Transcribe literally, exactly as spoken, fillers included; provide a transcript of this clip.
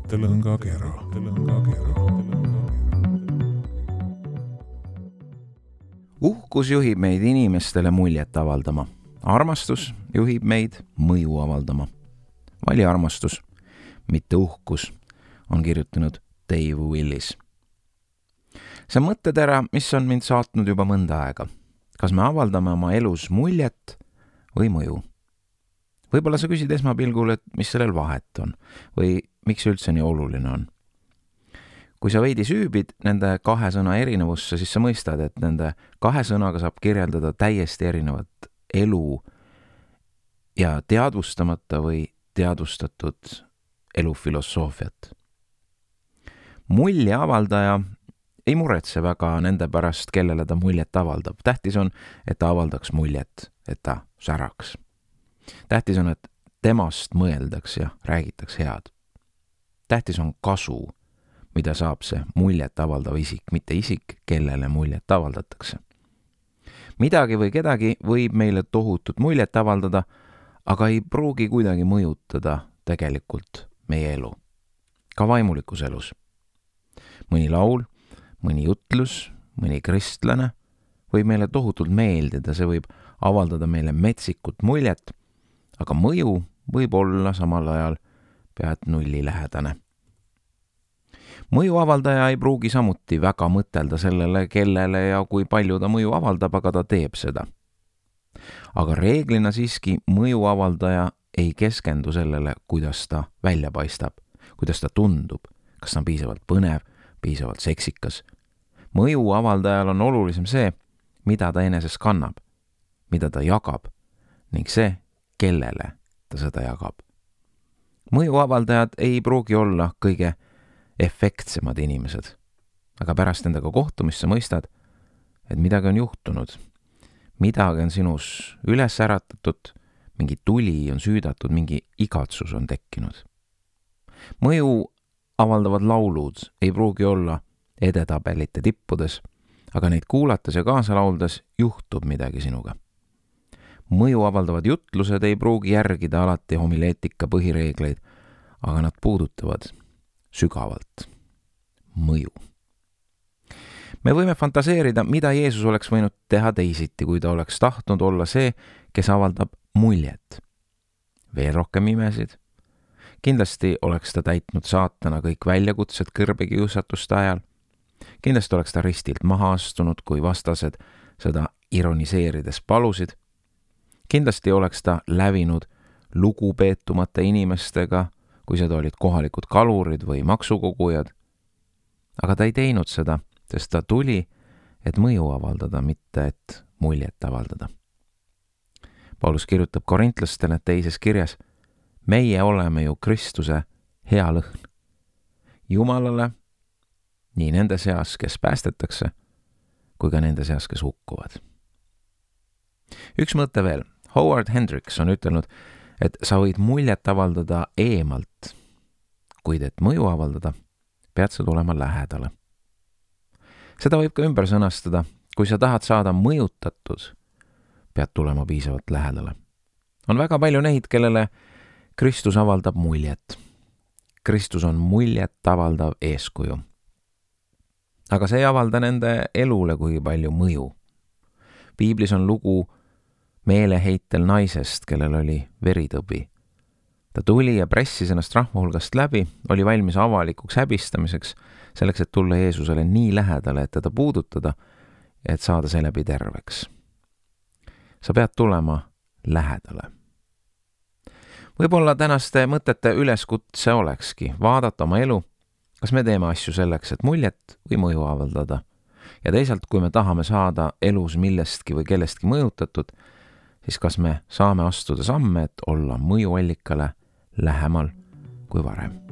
mõttelõngakera. Uhkus juhib meid inimestele muljet avaldama. Armastus juhib meid mõju avaldama. Vali armastus, mitte uhkus, on kirjutanud Dave Willis. See mõttetera, mis on mind saatnud juba mõnda aega. Kas me avaldame oma elus muljet või mõju? Võib-olla sa küsid esmapilgul, et mis sellel vahet on või miks üldse nii oluline on. Kui sa veidi süübid nende kahe sõna erinevusse, siis sa mõistad, et nende kahe sõnaga saab kirjeldada täiesti erinevat elu ja teadvustamata või teadvustatud elufilosoofiat. Mulje avaldaja ei muretse väga nende pärast, kellele ta muljet avaldab. Tähtis on, et ta avaldaks muljet, et ta säraks. Tähtis on, et temast mõeldaks ja räägitaks head. Tähtis on kasu, mida saab see muljet avaldav isik, mitte isik, kellele muljet avaldatakse. Midagi või kedagi võib meile tohutut muljet avaldada, aga ei pruugi kuidagi mõjutada tegelikult meie elu. Ka vaimulikus elus. Mõni laul, mõni jutlus, mõni kristlane võib meile tohutult meeldida, see võib avaldada meile metsikut muljet, aga mõju võib olla samal ajal pead nulli lähedane. Mõju avaldaja ei pruugi samuti väga mõtelda sellele, kellele ja kui palju ta mõju avaldab, aga ta teeb seda. Aga reeglina siiski mõju avaldaja ei keskendu sellele, kuidas ta välja paistab, kuidas ta tundub, kas ta on piisavalt põnev, piisavalt seksikas. Mõju avaldajal on olulisem see, mida ta eneses kannab, mida ta jagab ning see, kellele ta seda jagab. Mõju avaldajad ei pruugi olla kõige efektsemad inimesed, aga pärast endaga kohtumist sa mõistad, et midagi on juhtunud. Midagi on sinus üles äratatud, mingi tuli on süüdatud, mingi igatsus on tekkinud. Mõju avaldavad laulud ei pruugi olla edetabelite tippudes, aga neid kuulates ja kaasa lauldes juhtub midagi sinuga. Mõju avaldavad jutlused ei pruugi järgida alati homileetika põhireegleid, aga nad puudutavad sügavalt mõju. Me võime fantaseerida, mida Jeesus oleks võinud teha teisiti, kui ta oleks tahtnud olla see, kes avaldab muljet. Veel rohkem imesid. Kindlasti oleks ta täitnud saatana kõik väljakutsed kõrbekiusatuste ajal. Kindlasti oleks ta ristilt maha astunud, kui vastased seda ironiseerides palusid. Kindlasti oleks ta lävinud lugupeetumate inimestega, kui seda olid kohalikud kalurid või maksukogujad. Aga ta ei teinud seda, sest ta tuli, et mõju avaldada, mitte et muljet avaldada. Paulus kirjutab korintlastele teises kirjas, meie oleme ju Kristuse hea lõhn. Jumalale, nii nende seas, kes päästetakse, kui ka nende seas, kes hukkuvad. Üks mõte veel. Howard Hendricks on ütelnud, et sa võid muljet avaldada eemalt, kuid et mõju avaldada, pead sa tulema lähedale. Seda võib ka ümber sõnastada, kui sa tahad saada mõjutatud, pead tulema piisavalt lähedale. On väga palju neid, kellele Kristus avaldab muljet. Kristus on muljet avaldav eeskuju. Aga see ei avalda nende elule kuigi palju mõju. Piiblis on lugu meeleheitel naisest, kellel oli veritõbi. Ta tuli ja pressis ennast rahva hulgast läbi, oli valmis avalikuks häbistamiseks, selleks, et tulla Jeesusele nii lähedale, et teda puudutada ja et saada seeläbi terveks. Sa pead tulema lähedale. Võib-olla tänaste mõtete üleskutse olekski vaadata oma elu, kas me teeme asju selleks, et muljet või mõju avaldada. Ja teisalt, kui me tahame saada elus millestki või kellestki mõjutatud, siis kas me saame astuda samme, et olla mõjuallikale lähemal kui varem.